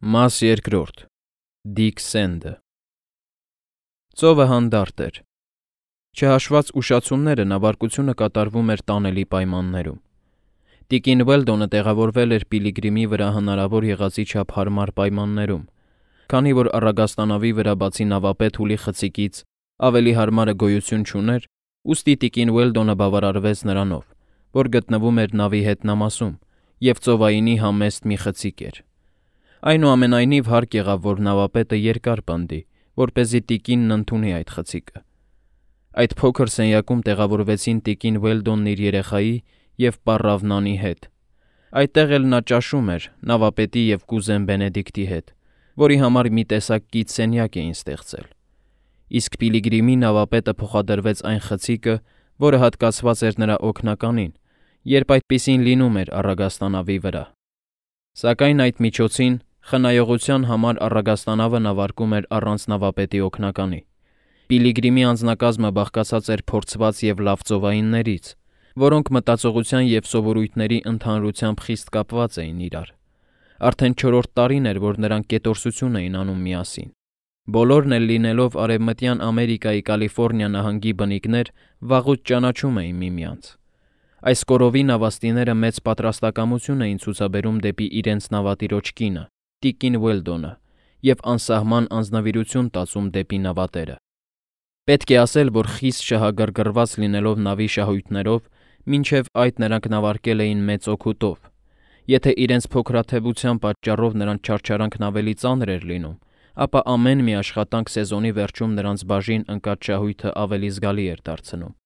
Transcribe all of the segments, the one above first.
Մաս երկրորդ Դիկ Սենդը Ծովը հանդարտ էր։ Չհաշված ուշացումները նավարկությունը կատարվում էր տանելի պայմաններում։ Տիկին Ուելդոնը տեղավորվել էր Պիլիգրիմի վրա հնարավոր եղածի չափ հարմար պայմաններում, քանի որ առագաստանավի վրա բացի նավապետ Հուլի խցիկից ավելի հարմարը գոյություն չուներ, ուստի տիկին Ուելդոնը բավարարվեց նրանով, որ գտնվում էր նավի հետնամասում և ծովայինի համեստ մի խցիկ էր։ Այնուամենայնիվ հարկ եղավ, որ նավապետը երկար պնդի, որպեսզի տիկինն ընդունի այդ խցիկը։ Այդ փոքր սենյակում տեղավորվեցին տիկին Ուելդոնն իր երեխայի և պառավ Նանի հետ։ Այդտեղ էլ նա ճաշում էր նավապետի և կուզեն Բենեդիկտի հետ, որի համար մի տեսակ կից սենյակ էին ստեղծել։ Իսկ Պիլիգրիմի նավապետը փոխադրվեց այն խցիկը, որը հատկացված էր նրա օգնականին, երբ այդպիսին լինում էր առագաստանավի վրա։ Սակայն այդ միջոցին խնայողության համար առագաստանավը նավարկում էր առանց նավապետի օգնականի։ Պիլիգրիմի անձնակազմը բաղկացած էր փորձված և լավ ծովայիններից, որոնք մտածողության և սովորույթների ընդհանրությամբ խիստ կապված էին իրար։ Արդեն 4-րդ տարին էր, որ նրանք կետորսություն էին անում միասին։ Բոլորն էլ լինելով Արևմտյան Ամերիկայի Կալիֆոռնիա նահանգի բնիկներ, վաղուց ճանաչում էին միմյանց։ Այս կորովի նավաստիները մեծ պատրաստակամություն էին ցուցաբերում դեպի իրենց նավատիրոջ կինը, տիկին Ուելդոնը, և անսահման անձնվիրություն տածում դեպի նավատերը։ Պետք է ասել, որ խիստ շահագրգռված լինելով նավի շահույթներով, մինչև այդ նրանք նավարկել էին մեծ օգուտով։ Եթե իրենց փոքրաթևության պատճառով նրանց չարչարանքն ավելի ծանր էր լինում, ապա ամեն մի աշխատանք սեզոնի վերջում նրանց բաժին ընկած շահույթը ավելի զգալի էր դարձնում։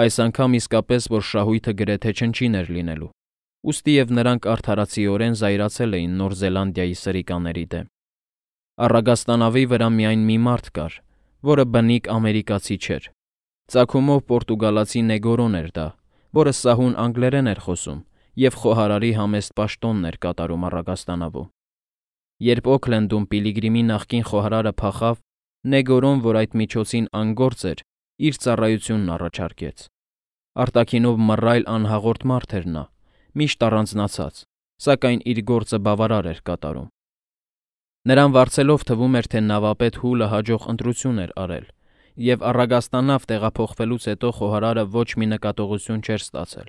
Այս անգամ իսկապես, որ շահույթը գրեթե չնչին էր լինելու, ուստի և նրանք արդարացիորեն զայրացել էին Նոր Զելանդիայի սրիկաների դեմ։ Առագաստանավի վրա միայն մի մարդ կար, որը բնիկ ամերիկացի չէր։ Ծագումով պորտուգալացի Նեգորոն էր դա, որը սահուն անգլերեն էր խոսում և խոհարարի համեստ պաշտոնն էր կատարում առագաստանավում։ Երբ Օքլենդում Պիլիգրիմի նախկին խոհարարը փախավ, Նեգորոն, որ այդ միջոցին անգործ էր, իր ծառայությունն առաջարկեց։ Արտաքինով մռայլ անհաղորդ մարդ էր նա, միշտ առանձնացած, սակայն իր գործը բավարար էր կատարում։ Նրան վարձելով թվում էր, թե նավապետ Հուլը հաջող ընտրություն էր արել, և առագաստանավ տեղափոխվելուց հետո խոհարարը ոչ մի նկատողություն չէր ստացել։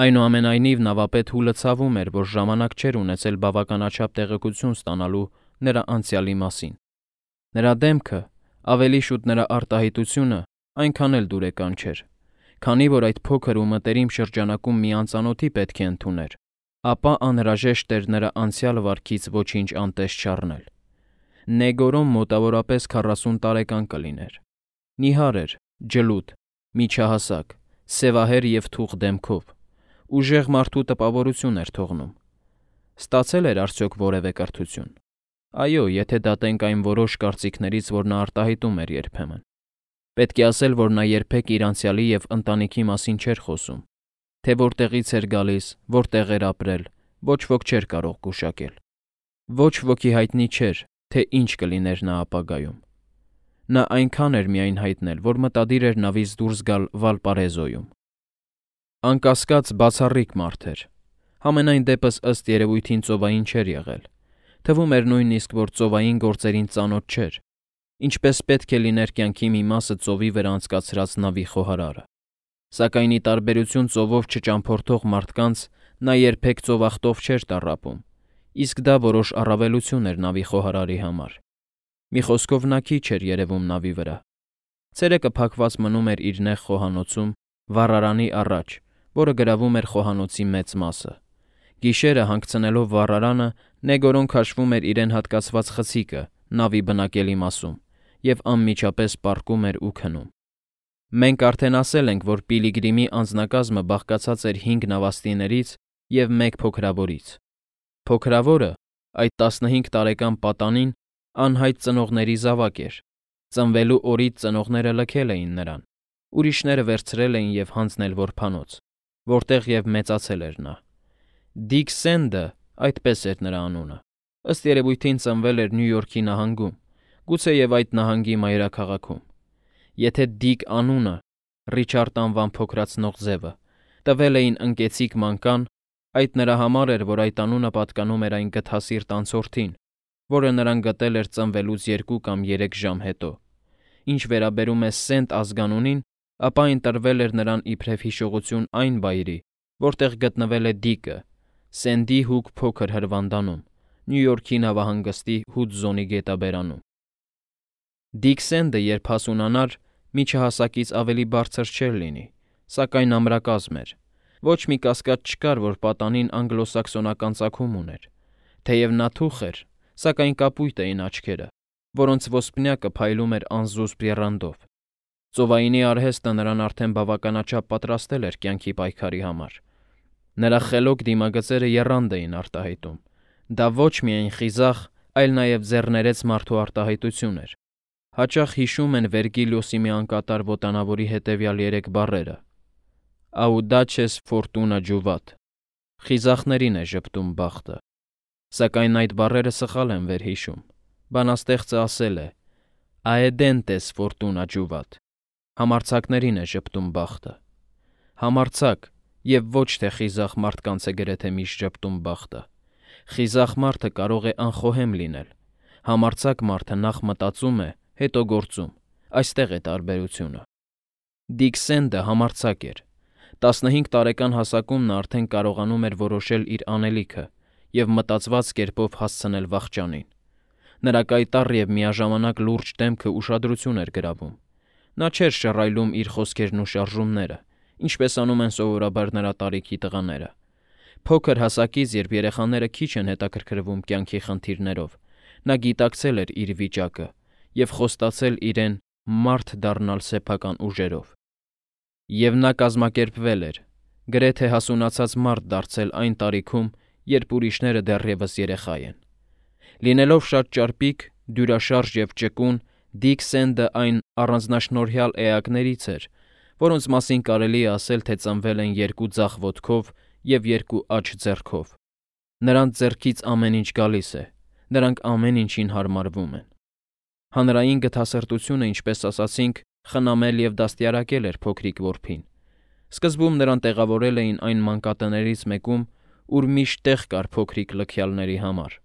Այնուամենայնիվ նավապետ Հուլը ցավում էր, որ ժամանակ չէր ունեցել բավականաչափ տեղեկություն ստանալու նրա անցյալի մասին։ Նրա դեմքը, ավելի շուտ նրա արտահայտությունը այնքան էլ դուրեկան չէր, քանի որ այդ փոքր ու մտերիմ շրջանակում մի անծանոթի պետք է ընդուներ, ապա անհրաժեշտ էր նրա անցյալ վարքից ոչինչ անտես չառնել։ Նեգորոն մոտավորապես 40 տարեկան կլիներ։ Նիհար էր, ջլուդ, միջահասակ, սևահեր և թուխ դեմքով, ուժեղ մարդու տպավորություն էր թողնում։ Ստացել էր արդյոք որևէ կրթություն։ Այո, եթե դատենք այն որոշ կարծիքներից, որ նա արտահայտում էր երբեմն։ Պետք է ասել, որ նա երբեք իր անցյալի և ընտանիքի մասին չէր խոսում, թե որտեղից էր գալիս, որտեղ էր ապրել, ոչ ոք չէր կարող գուշակել։ Ոչ ոքի հայտնի չէր, թե ինչ կլիներ նա ապագայում։ Նա այնքան էր միայն հայտնել, որ մտադիր էր նավից դուրս գալ Վալպարեզոյում։ Անկասկած, բացառիկ մարդ էր։ Համենայն դեպս ըստ երևույթին ծովային չէր եղել։ Թվում էր նույնիսկ, որ ծովային գործերին ծանոթ չէր, ինչպես պետք է լիներ կյանքի մի մասը ծովի վրա անցկացրած նավի խոհարարը։ Սակայն ի տարբերություն ծովով չճամփորդող մարդկանց, նա երբեք ծովախտով չէր տառապում, իսկ դա որոշ առավելություն էր նավի խոհարարի համար։ Մի խոսքով նա քիչ էր երևում նավի վրա։ Ցերեկը փակված մնում էր իր նեղ խոհանոցում, վառարանի առաջ, որը գրավում էր խոհանոցի մեծ մասը։ Գիշերը հանգցնելով վառարանը, Նեգորոն քաշվում էր իրեն հատկացված խցիկը նավի բնակելի մասում և անմիջապես պառկում էր ու քնում։ Մենք արդեն ասել ենք, որ Պիլիգրիմի անձնակազմը բաղկացած էր 5 նավաստիներից և 1 փոքրավորից։ Փոքրավորը, այդ 15 տարեկան պատանին, անհայտ ծնողների զավակ էր։ Ծնվելու օրից ծնողները լքել էին նրան, ուրիշները վերցրել էին և հանձնել որբանոց, որտեղ և մեծացել էր նա։ Դիկ Սենդը, այդպես էր նրա անունը, ըստ երևույթին ծնվել էր Նյու Յորքի նահանգում, գուցեև այդ նահանգի մայրաքաղաքում։ Եթե Դիկ անունը, Ռիչարդ անվան փոքրացնող ձևը, տվել էին ընկեցիկ մանկան, Այդ նրա համար էր, որ այդ անունը պատկանում էր այն գթասիրտ անցորդին, որը նրան գտել էր ծնվելուց 2 կամ 3 ժամ հետո։ Ինչ վերաբերում է Սենտ ազգանունին, ապա այն տրվել էր նրան իբրև հիշողություն այն վայրի, որտեղ գտնվել է Դիկը, Սենդի հուգ փոքր հրվանդանում, Նյու Յորքի նավահանգստի Հուդզոնի գետաբերանում։ Դիկ Սենդը, երբ հասունանար, միջահասակից ավելի բարձր չէր լինի, սակայն ամրակազմ էր։ Ոչ մի կասկած չկար, որ պատանին անգլոսաքսոնական ծագում ուներ։ Թեև նա թուխ էր, սակայն կապույտ էին աչքերը, որոնց ոսպնյակը փայլում էր անզուսպ եռանդով։ Ծովայինի արհեստը նրան արդեն բավականաչափ պատրաստել էր կյանքի պայքարի համար։ Նրա խելոք դիմագծերը եռանդ էին արտահայտում։ Դա ոչ միայն խիզախ, այլ նաև ձեռներեց մարդու արտահայտություն էր։ Հաճախ հիշում են Վերգիլիոսի մի անկատար ոտանավորի հետևյալ 3 բառերը. Audaces fortuna juvat, խիզախներին է ժպտում բախտը։ Սակայն այդ բառերը սխալ են վերհիշում։ Բանաստեղծը ասել է. Aedentes fortuna juvat, համարձակներին է ժպտում բախտը։ Համարձակ և ոչ թե խիզախ մարդկանց է գրեթե միշտ ժպտում բախտը։ Խիզախ մարդը կարող է անխոհեմ լինել։ Համարձակ մարդը նախ մտածում է, հետո գործում։ Այստեղ է տարբերությունը։ Դիկ Սենդը համարձակ էր։ 15 տարեկան հասակում նա արդեն կարողանում էր որոշել իր անելիքը և մտածված կերպով հասցնել վախճանին։ Նրա կայտառ և միաժամանակ լուրջ դեմքը ուշադրություն էր գրավում։ Նա չէր շռայլում իր խոսքերն ու շարժումները, ինչպես անում են սովորաբար նրա տարիքի տղաները։ Փոքր հասակից, երբ երեխաները քիչ են հետաքրքրվում կյանքի խնդիրներով, նա գիտակցել էր իր վիճակը և խոստացել իրեն մարդ դառնալ սեփական ուժերով։ Եվ նա կազմակերպվել էր, գրեթե հասունացած մարդ դարձել այն տարիքում, երբ ուրիշները դեռևս երեխա են։ Լինելով շատ ճարպիկ, դյուրաշարժ և ճկուն, Դիկ Սենդը այն առանձնաշնորհյալ էակներից էր, որոնց մասին կարելի է ասել, թե ծնվել են 2 ձախ ոտքով և 2 աջ ձեռքով։ Նրանց ձեռքից ամեն ինչ գալիս է, նրանք ամեն ինչին հարմարվում են։ Հանրային գթասրտությունը, ինչպես ասացինք, խնամել և դաստիարակել էր փոքրիկ որբին։ Սկզբում նրան տեղավորել էին այն մանկատներից մեկում, ուր միշտ տեղ կար փոքրիկ լքյալների համար։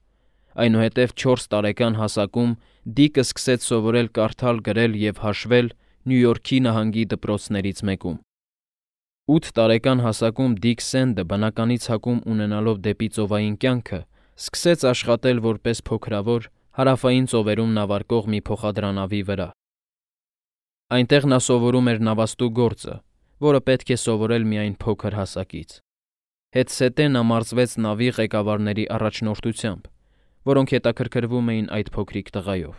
Այնուհետև 4 տարեկան հասակում Դիկը սկսեց սովորել կարդալ, գրել և հաշվել Նյու Յորքի նահանգի դպրոցներից մեկում։ 8 տարեկան հասակում Դիկ Սենդը, բնականի ցակում ունենալով դեպի ծովային կյանքը, սկսեց աշխատել որպես փոքրավոր, հարավային ծովերում նավարկող մի փոխադրանավի վրա։ Այնտեղ նա սովորում էր նավաստու գործը, որը պետք է սովորել միայն փոքր հասակից։ Հետզհետե նա մարզվեց նավի ղեկավարների առաջնորդությամբ, որոնք հետաքրքրվում էին այդ փոքրիկ տղայով։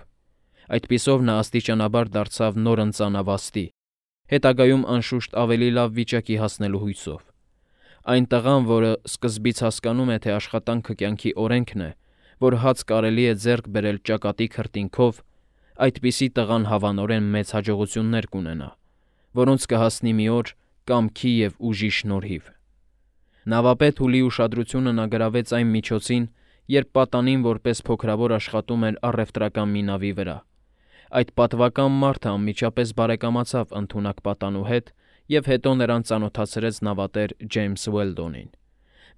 Այդպիսով նա աստիճանաբար դարձավ նորընծա նավաստի, հետագայում անշուշտ ավելի լավ վիճակի հասնելու հույսով։ Այն տղան, որը սկզբից հասկանում է, թե աշխատանքը կյանքի օրենքն է, որ հաց կարելի է ձեռք բերել ճակատի քրտինքով, այդպիսի տղան հավանորեն մեծ հաջողություններ կունենա, որոնց կհասնի մի օր կամքի և ուժի շնորհիվ։ Նավապետ Հուլի ուշադրությունը նա գրավեց այն միջոցին, երբ պատանին որպես փոքրավոր աշխատում էր առևտրական մի նավի վրա։ Այդ պատվական մարդը անմիջապես բարեկամացավ ընդունակ պատանու հետ և հետո նրան ծանոթացրեց նավատեր Ջեյմս Ուելդոնին։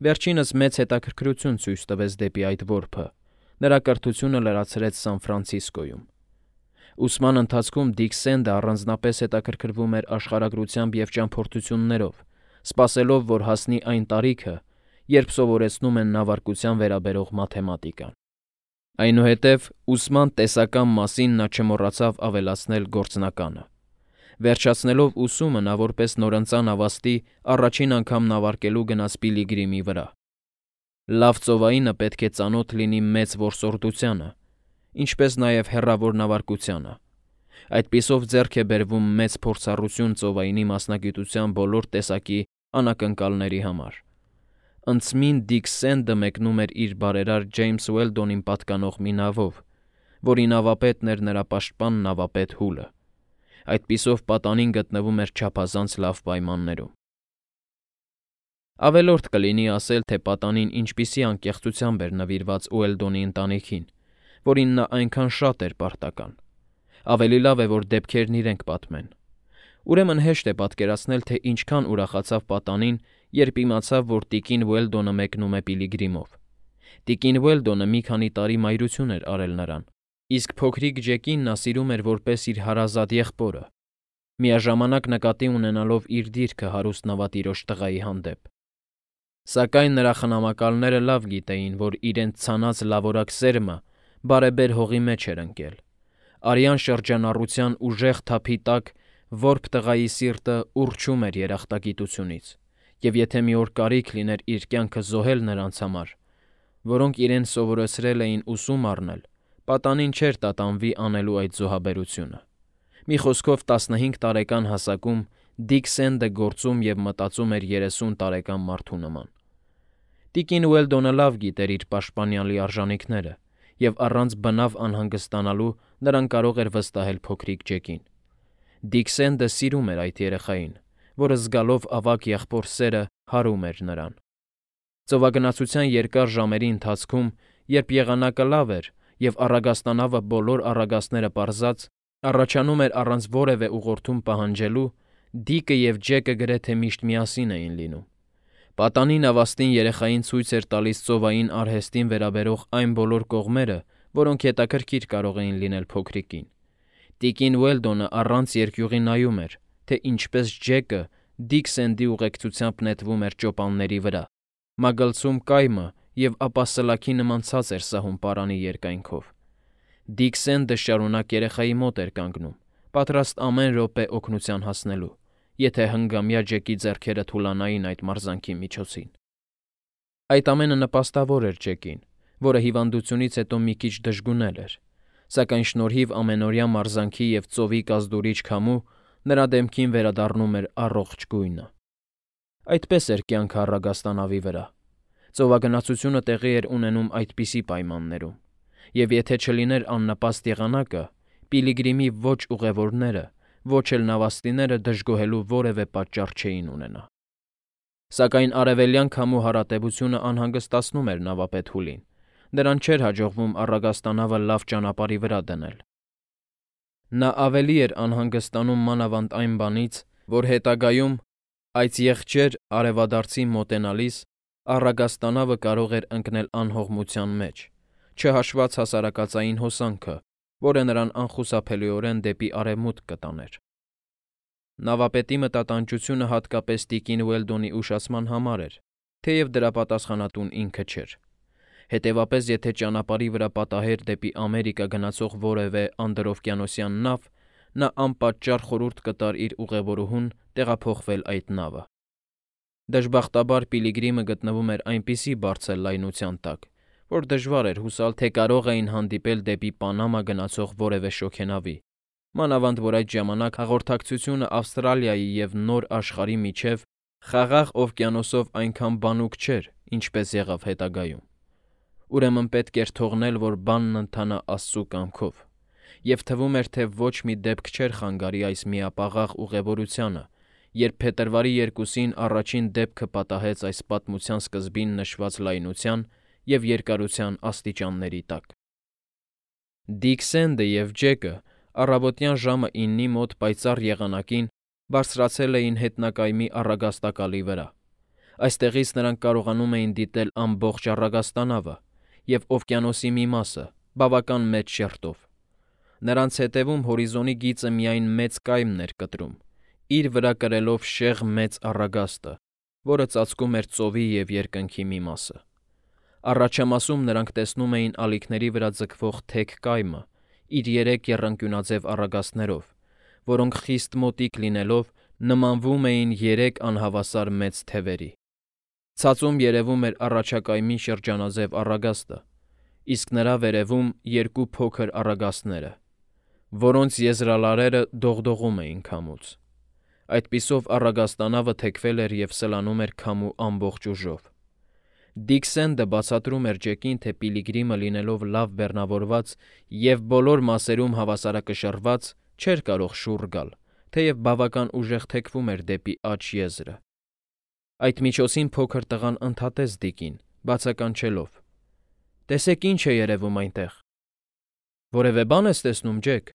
Վերջինս մեծ հետաքրքրություն ցույց տվեց դեպի այդ որբը, նրա կրթությունը լրացրեց Սան Ֆրանցիսկոյում։ Ուսման ընթացքում Դիկ Սենդը առանձնապես հետաքրքրվում էր աշխարհագրությամբ և ճամփորդություններով, սպասելով, որ հասնի այն տարիքը, երբ սովորեցնում են նավարկության վերաբերող մաթեմատիկան։ Այնուհետև ուսման տեսական մասին նա չմոռացավ ավելացնել գործնականը։ Վերջացնելով ուսումը, նա որպես նորընծա նավաստի առաջին անգամ նավարկելու գնաց Պիլիգրիմի վրա։ Լավ ծովայինը պետք է ծանոթ լինի մեծ որսորդությանը, ինչպես նաև հեռավոր նավարկությանը։ Այդպիսով ձեռք է բերվում մեծ փորձառություն ծովայինի մասնագիտության բոլոր տեսակի անակնկալների համար։ Ընծմին Դիկ Սենդը մեկնում էր իր բարերար Ջեյմս Ուելդոնին պատկանող մի նավով, որի նավապետն էր նրա պաշտպան նավապետ Հուլը։ Այդպիսով պատանին գտնվում էր չափազանց լավ պայմաններում։ Ավելորդ կլինի ասել, թե պատանին ինչպիսի անկեղծությամբ էր նվիրված Ուելդոնի ընտանիքին, որին նա այնքան շատ էր պարտական։ Ավելի լավ է, որ դեպքերն իրենք պատմեն։ Ուրեմն հեշտ է պատկերացնել, թե ինչքան ուրախացավ պատանին, երբ իմացավ, որ տիկին Ուելդոնը մեկնում է Պիլիգրիմով։ Տիկին Ուելդոնը մի քանի տարի մայրություն էր արել նրան, իսկ փոքրիկ Ջեկին նա սիրում էր որպես իր հարազատ եղբորը, միաժամանակ նկատի ունենալով իր դիրքը հարուստ նավատիրոջ տղայի հանդեպ։ Սակայն նրա խնամակալները լավ գիտեին, որ իրենց ցանած լավորակ սերմը բարեբեր հողի մեջ էր ընկել։ Արյան շրջանառության ուժեղ թափի տակ որբ տղայի սիրտը ուռչում էր երախտագիտությունից, և եթե մի օր կարիք լիներ իր կյանքը զոհել նրանց համար, որոնք իրեն սովորեցրել էին ուսում առնել, պատանին չէր տատանվի անելու այդ զոհաբերությունը։ Մի խոսքով 15 տարեկան հասակում Դիկ Սենդը գործում և մտածում էր 30 տարեկան մարդու նման։ Տիկին Ուելդոնը լավ գիտեր իր պաշտպանյալի արժանինքները, և առանց բնավ անհանգստանալու նրան կարող էր վստահել փոքրիկ Ջեկին։ Դիկ Սենդը սիրում էր այդ երեխային, որը զգալով ավագ եղբոր սերը հարում էր նրան։ Ծովագնացության երկար ժամերի ընթացքում, երբ եղանակը լավ էր և առագաստանավը բոլոր առագաստները պարզած, առաջանում էր առանց որևէ ուղղորդում պահանջելու, Դիկը և Ջեկը գրեթե միշտ միասին էին լինում։ Պատանի նավաստին երեխային ցույց էր տալիս ծովային արհեստին վերաբերող այն բոլոր կողմերը, որոնք հետաքրքիր կարող էին լինել փոքրիկին։ Տիկին Ուելդոնը առանց երկյուղի նայում էր, թե ինչպես Ջեկը Դիկ Սենդի ուղեկցությամբ նետվում էր ճոպանների վրա, մագլցում կայմը և ապա սլաքի նման ցած էր սահում պարանի երկայնքով։ Դիկ Սենդը շարունակ երեխայի մոտ էր կանգնում, պատրաստ ամեն րոպե օգնության հասնելու, եթե հնգամյա Ջեկի ձեռքերը թուլանային այդ մարզանքի միջոցին։ Այդ ամենը նպաստավոր էր Ջեկին, որը հիվանդությունից հետո մի քիչ դժգունել էր, սակայն շնորհիվ ամենօրյա մարզանքի և ծովի կազդուրիչ քամու նրա դեմքին վերադառնում էր առողջ գույնը։ Այդպես էր կյանքը առագաստանավի վրա։ Ծովագնացությունը տեղի էր ունենում այդպիսի պայմաններում, և եթե չլիներ աննպաստ եղանակը, Պիլիգրիմի ոչ ուղևորները, ոչ էլ նավաստիները դժգոհելու որևէ պատճառ չէին ունենա։ Սակայն արևելյան քամու հարատևությունը անհանգստացնում էր նավապետ Հուլին, նրան չէր հաջողվում առագաստանավը լավ ճանապարհի վրա դնել։ Նա ավելի էր անհանգստանում մանավանդ այն բանից, որ հետագայում, այս եղջեր արևադարձին մոտենալիս, առագաստանավը կարող էր ընկնել անհողմության մեջ, չհաշված հասարակածային հոսանքը, որը նրան անխուսափելիորեն դեպի արևմուտք կտաներ։ Նավապետի մտատանջությունը հատկապես տիկին Ուելդոնի ուշացման համար էր, թեև դրա պատասխանատուն ինքը չէր։ Հետևապես, եթե ճանապարհի վրա պատահեր դեպի Ամերիկա գնացող որևէ անդրօվկիանոսյան նավ, նա անպատճառ խորհուրդ կտար իր ուղևորուհուն տեղափոխվել այդ նավը։ Դժբախտաբար Պիլիգրիմը գտնվում էր այնպիսի բարձր լայնության տակ, որ դժվար էր հուսալ, թե կարող էին հանդիպել դեպի Պանամա գնացող որևէ շոգենավի, մանավանդ որ այդ ժամանակ հաղորդակցությունը Ավստրալիայի և Նոր Աշխարհի միջև Խաղաղ օվկիանոսով այնքան բանուկ չէր, ինչպես եղավ հետագայում։ Ուրեմն պետք էր թողնել, որ բանն ընթանա Աստծու կամքով, և թվում էր, թե ոչ մի դեպք չէր խանգարի այս միապաղաղ ուղևորությանը, երբ փետրվարի 2-ին առաջին դեպքը պատահեց այս պատմության սկզբին նշված լայնության և երկարության աստիճանների տակ։ Դիկ Սենդը և Ջեկը առավոտյան ժամը 9-ի մոտ պայծառ եղանակին բարձրացել էին հետնակայմի առագաստակալի վրա։ Այստեղից նրանք կարողանում էին դիտել ամբողջ առագաստանավը և օվկիանոսի մի մասը, բավական մեծ շերտով։ Նրանց հետևում հորիզոնի գիծը միայն մեծ կայմն էր կտրում, իր վրա կրելով շեղ մեծ առագաստը, որը ծածկում էր ծովի և երկնքի մի մասը։ Առաջամասում նրանք տեսնում էին ալիքների վրա ձգվող թեք կայմը իր 3 եռանկյունաձև առագաստներով, որոնք խիստ մոտիկ լինելով նմանվում էին 3 անհավասար մեծ թևերի։ Ցածում երևում էր առաջակայմի շրջանաձև առագաստը, իսկ նրա վերևում 2 փոքր առագաստները, որոնց եզրալարերը դողդողում էին քամուց։ Այդպիսով առագաստանավը թեքվել էր և սլանում էր քամու ամբողջ ուժով։ Դիկ Սենդը բացատրում էր Ջեկին, թե Պիլիգրիմը լինելով լավ բեռնավորված և բոլոր մասերում հավասարակշռված, չէր կարող շուռ գալ, թեև բավական ուժեղ թեքվում էր դեպի աջ եզրը։ Այդ միջոցին փոքր տղան ընդհատեց Դիկին, բացականչելով. «Տեսեք ինչ է երևում այնտեղ»։ «Որևէ բան ես տեսնում, Ջեք»։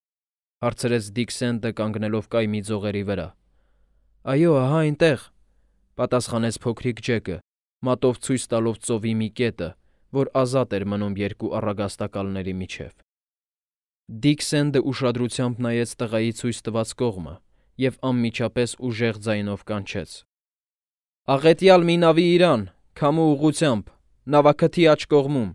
Հարցրեց Դիքսենտը կանգնելով կայմի ձողերի վրա։ Այո, ահա այնտեղ, պատասխանեց փոքրիկ Ջեկը, մատով ցույց տալով ծովի մի կետը, որ ազատ էր մնում երկու առագաստակալների միջև։ Դիքսենտը ուշադրությամբ նայեց տղայի ցույց տված կողմը և անմիջապես ուժեղ ձայնով կանչեց. «Աղետյալ մի նավի իրան, քամու ուղղությամբ, նավաքթի աջ կողմում»։